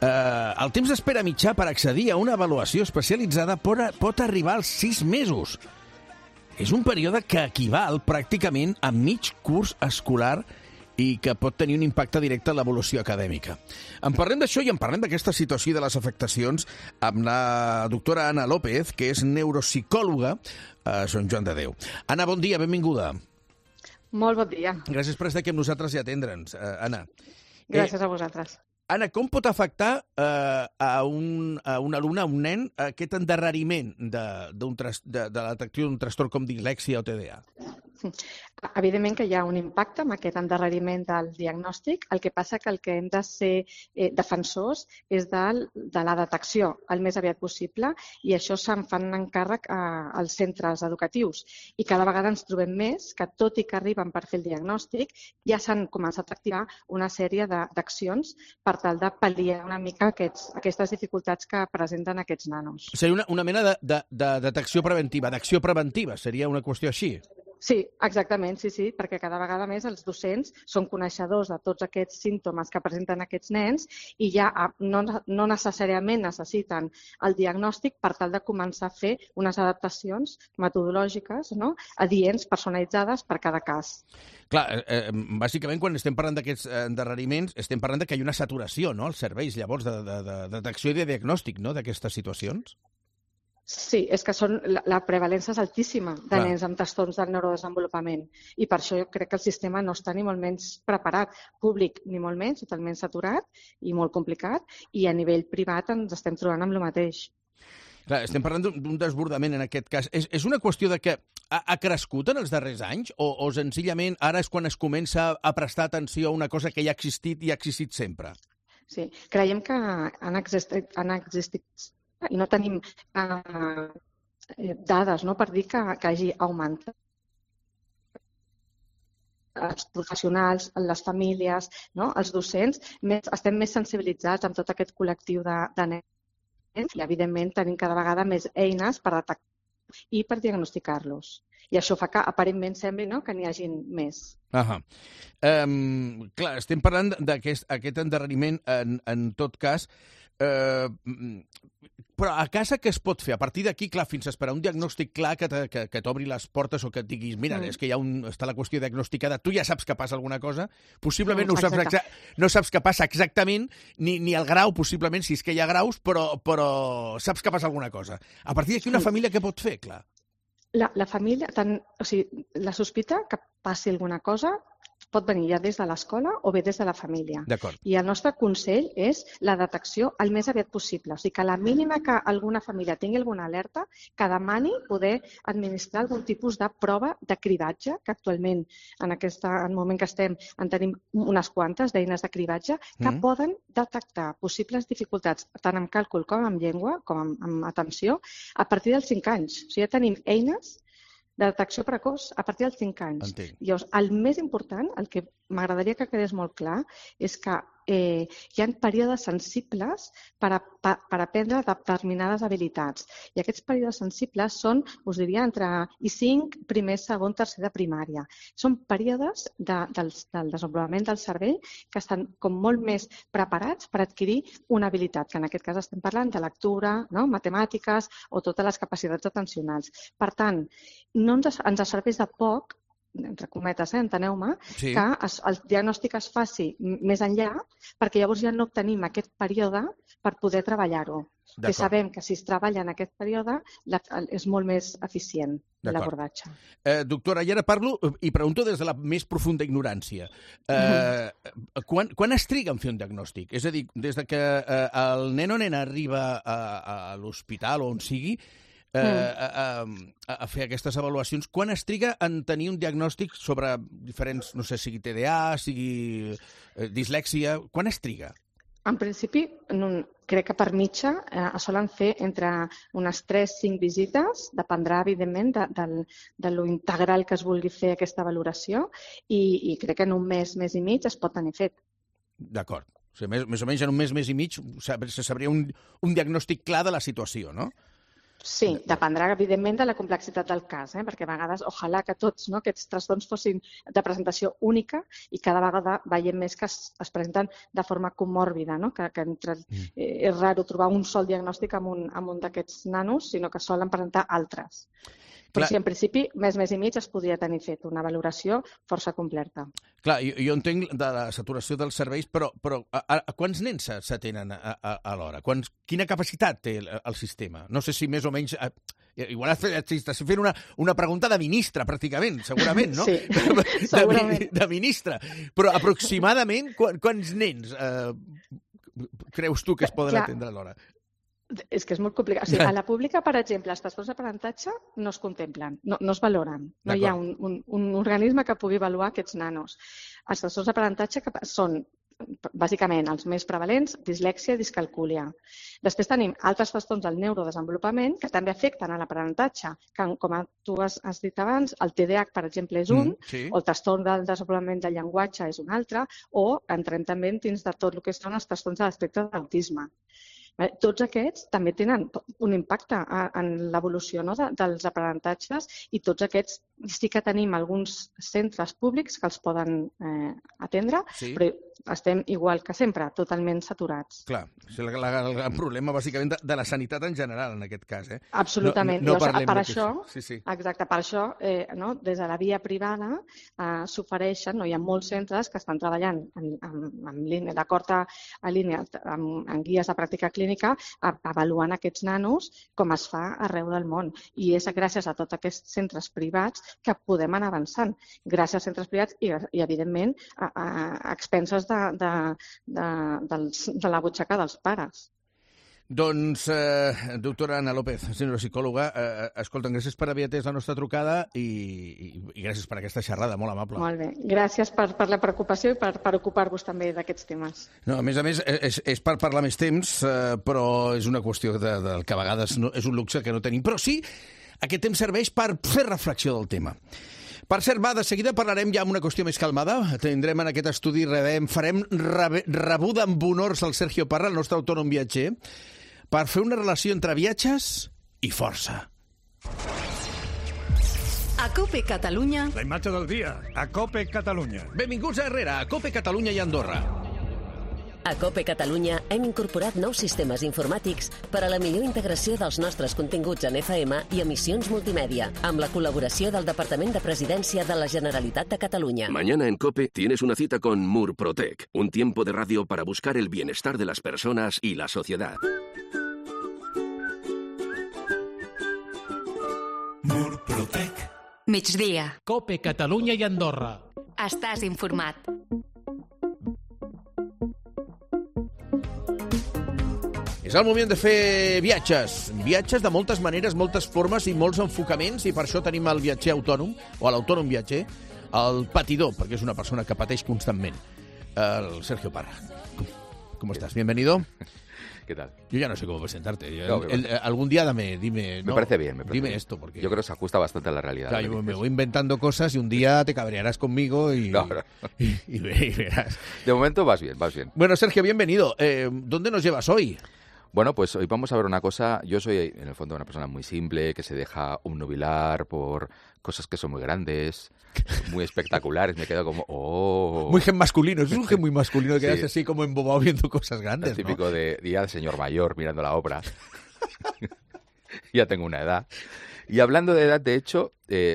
El temps d'espera mitjà per accedir a una avaluació especialitzada pot arribar als 6 mesos. És un període que equival pràcticament a mig curs escolar i que pot tenir un impacte directe en l'evolució acadèmica. En parlem d'això i en parlem d'aquesta situació i de les afectacions amb la doctora Anna López, que és neuropsicòloga a Sant Joan de Déu. Anna, bon dia, benvinguda. Molt bon dia. Gràcies per estar aquí amb nosaltres i atendre'ns, Anna. Gràcies a vosaltres. Anna, com pot afectar a un alumne, a un nen, aquest endarreriment de la detecció d'un trastorn com dislèxia o TDAH? Evidentment que hi ha un impacte amb aquest endarreriment del diagnòstic. El que passa que el que hem de ser defensors és de la detecció el més aviat possible i això se'n fan encàrrec als centres educatius. I cada vegada ens trobem més que, tot i que arriben per fer el diagnòstic, ja s'han començat a activar una sèrie d'accions per tal de pal·liar una mica aquestes dificultats que presenten aquests nanos. Seria una mena de detecció preventiva, d'acció preventiva, seria una qüestió així? Sí, exactament, sí, perquè cada vegada més els docents són coneixedors de tots aquests símptomes que presenten aquests nens i ja no necessàriament necessiten el diagnòstic per tal de començar a fer unes adaptacions metodològiques, adients, personalitzades per cada cas. Clar, bàsicament quan estem parlant d'aquests endarreriments estem parlant que hi ha una saturació als serveis llavors de detecció i de diagnòstic d'aquestes situacions? Sí, és que la prevalença és altíssima de nens amb trastorns del neurodesenvolupament i per això jo crec que el sistema no està ni molt menys preparat, públic ni molt menys, totalment saturat i molt complicat, i a nivell privat ens estem trobant amb el mateix. Clar, estem parlant d'un desbordament en aquest cas. És una qüestió de que ha crescut en els darrers anys o senzillament ara és quan es comença a prestar atenció a una cosa que ja ha existit i ha existit sempre? Sí, creiem que han existit i no tenim dades per dir que hagi augmentat. Els professionals, les famílies, els docents, estem més sensibilitzats amb tot aquest col·lectiu de nens i, evidentment, tenim cada vegada més eines per detectar i per diagnosticar-los. I això fa que, aparentment, sembli que n'hi hagi més. Clar, estem parlant d'aquest endarreriment, en tot cas, però a casa què es pot fer? A partir d'aquí, clar, fins a esperar un diagnòstic clar que t'obri les portes o que et diguis, mira, és que està la qüestió diagnosticada, tu ja saps que passa alguna cosa, possiblement no saps que passa exactament, ni el grau, possiblement, si és que hi ha graus, però saps que passa alguna cosa. A partir d'aquí, una família què pot fer, clar? La família, la sospita que passi alguna cosa pot venir ja des de l'escola o bé des de la família. I el nostre consell és la detecció el més aviat possible. O sigui que a la mínima que alguna família tingui alguna alerta, que demani poder administrar algun tipus de prova de cribatge, que actualment, en el moment que estem, en tenim unes quantes d'eines de cribatge, que poden detectar possibles dificultats, tant amb càlcul com amb llengua, com amb atenció, a partir dels 5 anys. O sigui, ja tenim eines de detecció precoç a partir dels 5 anys. Llavors, el més important, el que m'agradaria que quedés molt clar, és que hi ha períodes sensibles per aprendre determinades habilitats. I aquests períodes sensibles són, us diria, entre I5, primer, segon, tercer de primària. Són períodes del desenvolupament del cervell que estan com molt més preparats per adquirir una habilitat, que en aquest cas estem parlant de lectura, no? Matemàtiques o totes les capacitats atencionals. Per tant, no ens serveix de poc, entre cometes, enteneu-me, que el diagnòstic es faci més enllà, perquè llavors ja no obtenim aquest període per poder treballar-ho. Que sabem que si es treballa en aquest període és molt més eficient l'abordatge. Doctora, i ara parlo i pregunto des de la més profunda ignorància. Quan es triga en fer un diagnòstic? És a dir, des que el nen o nena arriba a l'hospital o on sigui, a fer aquestes avaluacions, quan es triga en tenir un diagnòstic sobre diferents, no sé, sigui TDA, sigui dislèxia, quan es triga? En principi, crec que per mitja es solen fer entre unes 3-5 visites, dependrà, evidentment, de lo integral que es vulgui fer aquesta valoració, i crec que en un mes i mig es pot tenir fet. D'acord. O sigui, més o menys en un mes i mig se sabria un diagnòstic clar de la situació, no? Sí, dependrà, evidentment, de la complexitat del cas, perquè a vegades, ojalà que tots aquests trastorns fossin de presentació única i cada vegada veiem més que es presenten de forma comòrbida, que és raro trobar un sol diagnòstic amb un d'aquests nanos, sinó que solen presentar altres. Però sí, en principi, mes i mig es podria tenir fet una valoració força completa. Clar, jo entenc de la saturació dels serveis, però a quants nens s'atenen alhora? Quina capacitat té el sistema? No sé si més o menys... Igual estàs fent una pregunta de ministre, pràcticament, segurament, no? Sí, segurament. De ministre. Però aproximadament quants nens creus tu que es poden atendre alhora? És que és molt complicat. O sigui, a la pública, per exemple, els trastorns d'aprenentatge no es contemplen, no es valoren. No hi ha un organisme que pugui avaluar aquests nanos. Els trastorns d'aprenentatge són, bàsicament, els més prevalents, dislèxia i discalcúlia. Després tenim altres trastorns del neurodesenvolupament que també afecten a l'aprenentatge, que, com tu has dit abans, el TDAH, per exemple, és un, o el trastorn del desenvolupament del llenguatge és un altre, o entrem també dins de tot el que són els trastorns de l'espectre d'autisme. Tots aquests també tenen un impacte en l'evolució dels aprenentatges i tots aquests sí que tenim alguns centres públics que els poden atendre, però estem igual que sempre, totalment saturats. Clar, és el gran problema bàsicament de la sanitat en general en aquest cas. Absolutament. Per això, exacte, per això des de la via privada s'ofereixen, hi ha molts centres que estan treballant en línia, d'acord a línia, en guies de pràctica clínica, avaluant aquests nanos com es fa arreu del món. I és gràcies a tots aquests centres privats que podem anar avançant. Gràcies als centres privats i evidentment, a expenses de la butxaca dels pares. Doncs, doctora Ana López, neuropsicòloga, escolta, gràcies per haver atès la nostra trucada i gràcies per aquesta xerrada, molt amable. Molt bé, gràcies per la preocupació i per ocupar-vos també d'aquests temes. No, a més, és per parlar més temps, però és una qüestió del que a vegades és un luxe que no tenim. Però sí, aquest temps serveix per fer reflexió del tema. Per cert, de seguida parlarem ja amb una qüestió més calmada. Tindrem en aquest estudi, farem rebuda amb honors al Sergio Parra, el nostre autònom viatger, per fer una relació entre viatges i força. A COPE Catalunya... La imatge del dia, a COPE Catalunya. Benvinguts a Herrera, a COPE Catalunya i Andorra. A COPE Catalunya hem incorporat nous sistemes informàtics per a la millor integració dels nostres continguts en FM i emissions multimèdia, amb la col·laboració del Departament de Presidència de la Generalitat de Catalunya. Mañana en COPE tienes una cita con Murprotec, un tiempo de radio para buscar el bienestar de las personas y la sociedad. Murprotec. Migdia. COPE Catalunya i Andorra. Estàs informat. És el moment de fer viatges. Viatges de moltes maneres, moltes formes i molts enfocaments, i per això tenim el viatger autònom, o l'autònom viatger, el patidor, perquè és una persona que pateix constantment, el Sergio Parra. ¿Cómo estás? Bienvenido. ¿Qué tal? Yo ya no sé cómo presentarte. No, algún día dime... Me parece bien. Dime esto, porque... Yo creo que se ajusta bastante a la realidad. Claro, yo me voy inventando cosas y un día te cabrearás conmigo y verás. De momento vas bien. Bueno, Sergio, bienvenido. ¿Dónde nos llevas hoy? Bueno, pues hoy vamos a ver una cosa. Yo soy, en el fondo, una persona muy simple, que se deja obnubilar por cosas que son muy grandes, muy espectaculares. Me quedo como, ¡oh! Muy gen masculino. Es un gen muy masculino que quedas así como embobado viendo cosas grandes, el típico de día de señor mayor mirando la obra. Ya tengo una edad. Y hablando de edad, de hecho,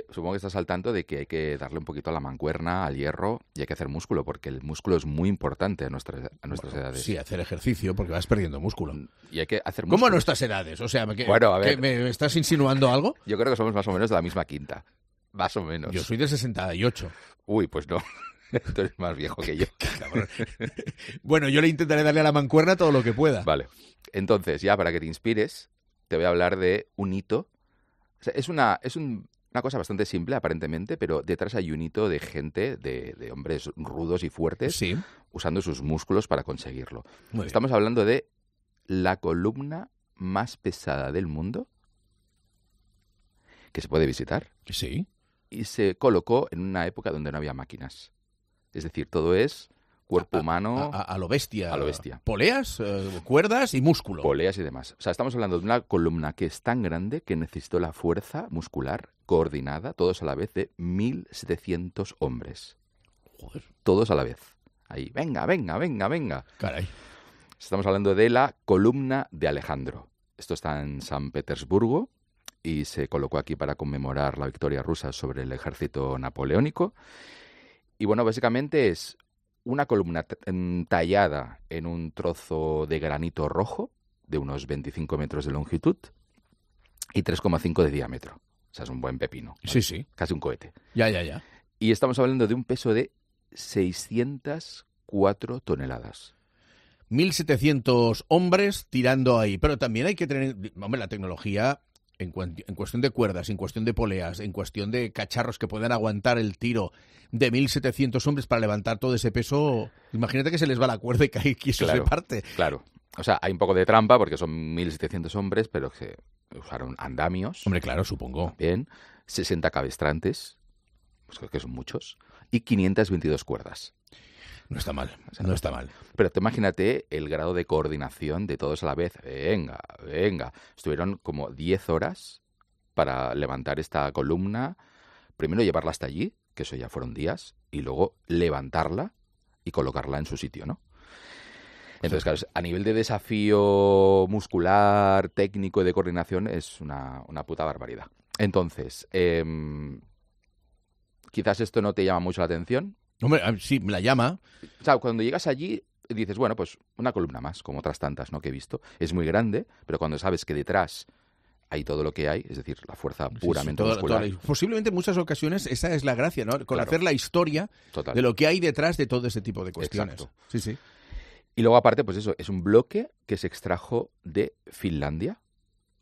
supongo que estás al tanto de que hay que darle un poquito a la mancuerna, al hierro, y hay que hacer músculo, porque el músculo es muy importante a nuestras edades. Sí, hacer ejercicio, porque vas perdiendo músculo. Y hay que hacer músculo. ¿Cómo a nuestras edades? O sea, bueno, a ver, ¿me estás insinuando algo? Yo creo que somos más o menos de la misma quinta. Más o menos. Yo soy de 68. Uy, pues no. Tú eres más viejo que yo. Bueno, yo le intentaré darle a la mancuerna todo lo que pueda. Vale. Entonces, ya para que te inspires, te voy a hablar de un hito. O sea, es una cosa bastante simple, aparentemente, pero detrás hay un hito de gente, de hombres rudos y fuertes, usando sus músculos para conseguirlo. Estamos hablando de la columna más pesada del mundo, que se puede visitar. Sí. Y se colocó en una época donde no había máquinas. Es decir, todo es cuerpo humano... A lo bestia. A lo bestia. Poleas, cuerdas y músculo. Poleas y demás. O sea, estamos hablando de una columna que es tan grande que necesitó la fuerza muscular coordinada, todos a la vez, de 1.700 hombres. Joder. Todos a la vez. Ahí, venga. Caray. Estamos hablando de la columna de Alejandro. Esto está en San Petersburgo y se colocó aquí para conmemorar la victoria rusa sobre el ejército napoleónico. Y bueno, básicamente es una columna tallada en un trozo de granito rojo de unos 25 metros de longitud y 3,5 de diámetro. O sea, es un buen pepino. ¿Vale? Sí. Casi un cohete. Ya. Y estamos hablando de un peso de 604 toneladas. 1.700 hombres tirando ahí. Pero también hay que tener... Hombre, la tecnología... En cuestión de cuerdas, en cuestión de poleas, en cuestión de cacharros que puedan aguantar el tiro de 1.700 hombres para levantar todo ese peso, imagínate que se les va la cuerda y cae y eso se parte. Claro. O sea, hay un poco de trampa porque son 1.700 hombres, pero se usaron andamios. Hombre, claro, supongo. Bien. 60 cabestrantes, pues creo que son muchos, y 522 cuerdas. No está mal. Pero te imagínate el grado de coordinación de todos a la vez. Venga. Estuvieron como 10 horas para levantar esta columna. Primero llevarla hasta allí, que eso ya fueron días, y luego levantarla y colocarla en su sitio, ¿no? Entonces, claro, a nivel de desafío muscular, técnico y de coordinación es una puta barbaridad. Entonces, quizás esto no te llama mucho la atención. Hombre, sí, me la llama. O sea, cuando llegas allí dices, bueno, pues una columna más, como otras tantas, ¿no?, que he visto. Es muy grande, pero cuando sabes que detrás hay todo lo que hay, es decir, la fuerza puramente muscular. Posiblemente en muchas ocasiones esa es la gracia, ¿no? Conocer la historia de lo que hay detrás de todo ese tipo de cuestiones. Exacto. Sí. Y luego, aparte, pues eso, es un bloque que se extrajo de Finlandia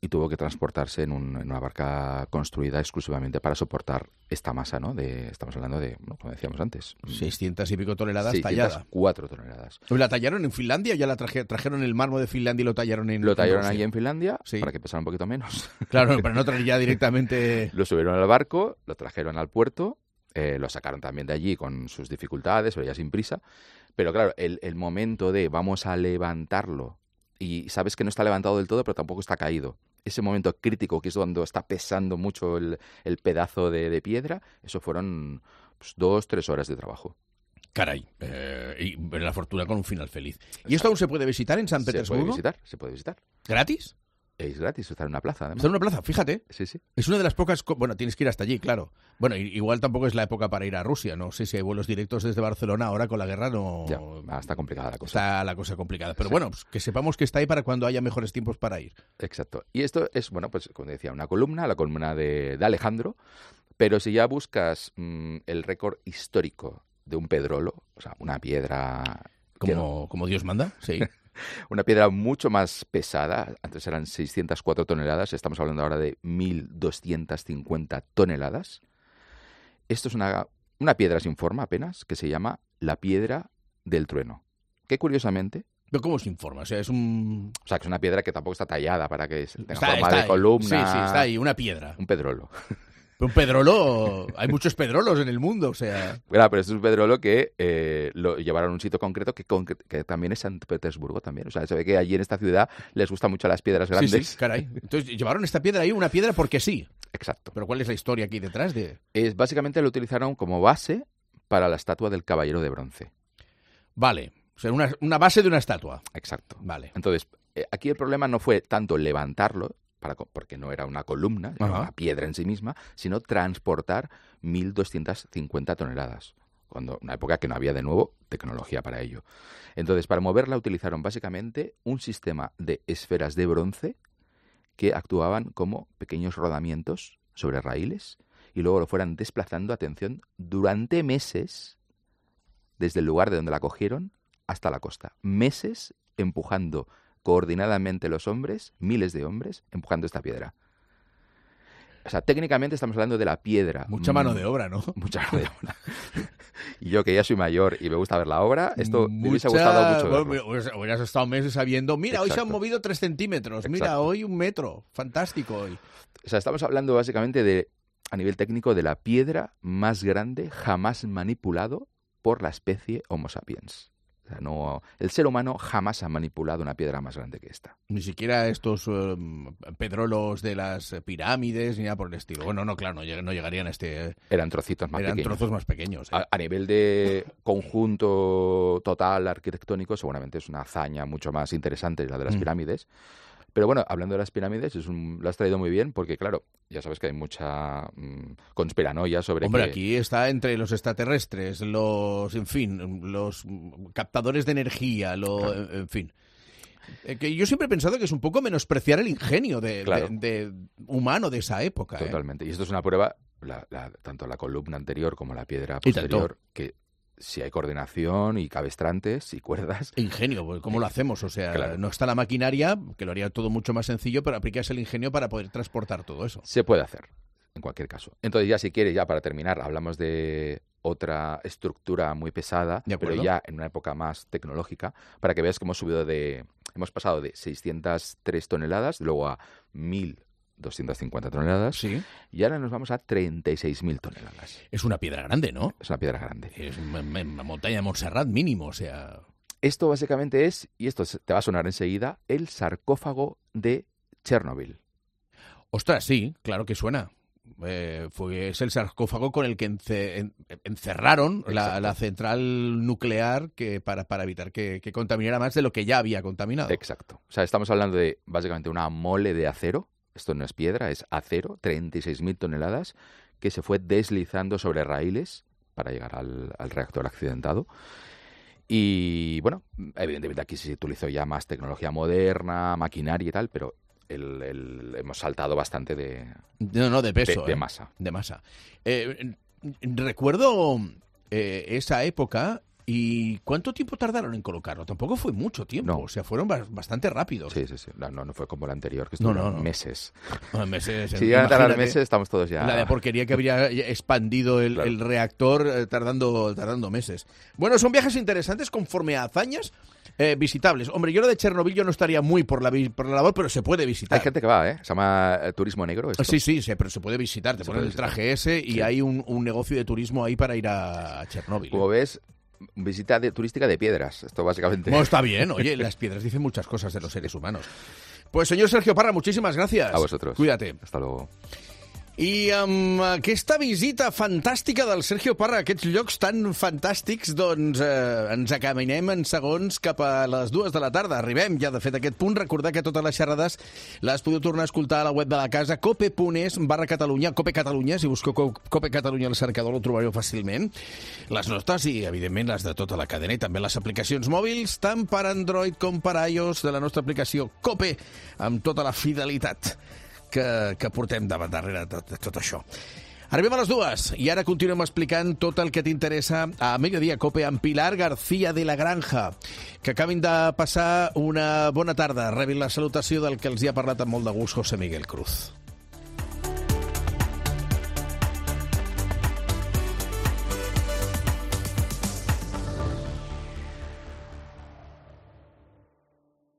y tuvo que transportarse en una barca construida exclusivamente para soportar esta masa, ¿no? Estamos hablando de, como decíamos antes, 600 y pico toneladas tallada. 604 toneladas. ¿La tallaron en Finlandia o ya la trajeron el mármol de Finlandia y lo tallaron en Lo tallaron Rusia? ahí en Finlandia para que pesara un poquito menos. Claro, para no traer ya directamente... Lo subieron al barco, lo trajeron al puerto, lo sacaron también de allí con sus dificultades, pero ya sin prisa. Pero claro, el momento de vamos a levantarlo y sabes que no está levantado del todo, pero tampoco está caído. Ese momento crítico, que es cuando está pesando mucho el pedazo de piedra, eso fueron 2-3 horas de trabajo. Caray, y la fortuna con un final feliz. ¿Y esto aún se puede visitar en San Petersburgo? Se puede visitar. ¿Gratis? Es gratis, está en una plaza, además. Está en una plaza, fíjate. Sí. Es una de las pocas... Bueno, tienes que ir hasta allí, claro. Bueno, igual tampoco es la época para ir a Rusia. No sé si hay vuelos directos desde Barcelona ahora con la guerra. No. Ya, está complicada la cosa. Está la cosa complicada. Pero bueno, pues que sepamos que está ahí para cuando haya mejores tiempos para ir. Exacto. Y esto es, bueno, pues como decía, una columna, la columna de Alejandro. Pero si ya buscas el récord histórico de un pedrolo, o sea, una piedra... Como Dios manda, sí. Una piedra mucho más pesada, antes eran 604 toneladas, estamos hablando ahora de 1.250 toneladas. Esto es una piedra sin forma apenas, que se llama la piedra del trueno, que curiosamente ¿Pero cómo se informa? O sea, es un... O sea, que es una piedra que tampoco está tallada para que tenga forma de columna. Sí, está ahí, una piedra. Un pedrolo. Un pedrolo, hay muchos pedrolos en el mundo, o sea... Claro, pero este es un pedrolo que lo llevaron a un sitio concreto que también es San Petersburgo también. O sea, se ve que allí en esta ciudad les gustan mucho las piedras grandes. Sí, caray. Entonces, llevaron esta piedra ahí, una piedra porque sí. Exacto. Pero ¿cuál es la historia aquí detrás de...? Básicamente lo utilizaron como base para la estatua del Caballero de Bronce. Vale. O sea, una base de una estatua. Exacto. Vale. Entonces, aquí el problema no fue tanto levantarlo, porque no era una columna, era una piedra en sí misma, sino transportar 1.250 toneladas. Una época que no había, de nuevo, tecnología para ello. Entonces, para moverla utilizaron básicamente un sistema de esferas de bronce que actuaban como pequeños rodamientos sobre raíles y luego lo fueran desplazando, atención, durante meses desde el lugar de donde la cogieron hasta la costa. Meses empujando coordinadamente los hombres, miles de hombres, empujando esta piedra. O sea, técnicamente estamos hablando de la piedra. Mucha mano de obra, ¿no? Mucha mano de obra. Y yo, que ya soy mayor y me gusta ver la obra, esto me hubiese gustado mucho verlo. Hubieras estado meses sabiendo, mira, Exacto. Hoy se han movido 3 centímetros, Exacto. Mira, hoy 1 metro, fantástico hoy. O sea, estamos hablando básicamente a nivel técnico, de la piedra más grande jamás manipulado por la especie Homo sapiens. O sea, el ser humano jamás ha manipulado una piedra más grande que esta. Ni siquiera estos pedrolos de las pirámides ni nada por el estilo. Bueno, no, claro, no llegarían a este... Eran trocitos más pequeños. Eran trozos más pequeños. A nivel de conjunto total arquitectónico, seguramente es una hazaña mucho más interesante la de las pirámides. Pero bueno, hablando de las pirámides, lo has traído muy bien porque, claro, ya sabes que hay mucha conspiranoia sobre aquí está entre los extraterrestres, los captadores de energía, claro. En fin. Que yo siempre he pensado que es un poco menospreciar el ingenio de humano de esa época. Totalmente. Y esto es una prueba, tanto la columna anterior como la piedra posterior, que si hay coordinación y cabestrantes y cuerdas... Ingenio, ¿cómo lo hacemos? O sea, claro. No está la maquinaria, que lo haría todo mucho más sencillo, pero aplicas el ingenio para poder transportar todo eso. Se puede hacer, en cualquier caso. Entonces ya, si quieres, ya para terminar, hablamos de otra estructura muy pesada, pero ya en una época más tecnológica, para que veas cómo hemos pasado de 603 toneladas, luego a 1.250 toneladas, sí. Y ahora nos vamos a 36.000 toneladas. Es una piedra grande, ¿no? Es una piedra grande. Es una montaña de Montserrat mínimo, o sea... Esto básicamente es, y esto te va a sonar enseguida, el sarcófago de Chernobyl. Ostras, sí, claro que suena. Es el sarcófago con el que encerraron la central nuclear para evitar que contaminara más de lo que ya había contaminado. Exacto. O sea, estamos hablando de básicamente una mole de acero. Esto no es piedra, es acero, 36.000 toneladas, que se fue deslizando sobre raíles para llegar al reactor accidentado. Y bueno, evidentemente aquí se utilizó ya más tecnología moderna, maquinaria y tal, pero hemos saltado bastante de peso, de masa. De masa. Recuerdo esa época. ¿Y cuánto tiempo tardaron en colocarlo? Tampoco fue mucho tiempo, o sea, fueron bastante rápidos. Sí. No fue como el anterior, que estuvieron meses. Meses. Si llegan a tardar meses, estamos todos ya... La de porquería que habría expandido el reactor tardando meses. Bueno, son viajes interesantes conforme a hazañas visitables. Hombre, yo lo de Chernobyl yo no estaría muy por la labor, pero se puede visitar. Hay gente que va, se llama turismo negro. Esto. Sí, pero se puede visitar. Te pones el traje ese y hay un negocio de turismo ahí para ir a Chernobyl. Como ves... Visita turística de piedras, esto básicamente. No, está bien, oye, las piedras dicen muchas cosas de los seres humanos. Pues señor Sergio Parra, muchísimas gracias. A vosotros. Cuídate. Hasta luego. I amb aquesta visita fantàstica del Sergio Parra a aquests llocs tan fantàstics, doncs ens acaminem en segons cap a les 2 de la tarda. Arribem ja, de fet, a aquest punt. Recordar que totes les xerrades les podeu tornar a escoltar a la web de la casa, cope.es/Catalunya, Cope Catalunya. Si busqueu Cope Catalunya al cercador ho trobareu fàcilment. Les nostres i, evidentment, les de tota la cadena i també les aplicacions mòbils, tant per Android com per iOS, de la nostra aplicació Cope, amb tota la fidelitat que portem darrere de tot això. Arribem a les 2 i ara continuem explicant tot el que t'interessa a Mediodía Cope amb Pilar García de la Granja. Que acabin de passar una bona tarda. Rebin la salutació del que els hi ha parlat amb molt de gust José Miguel Cruz.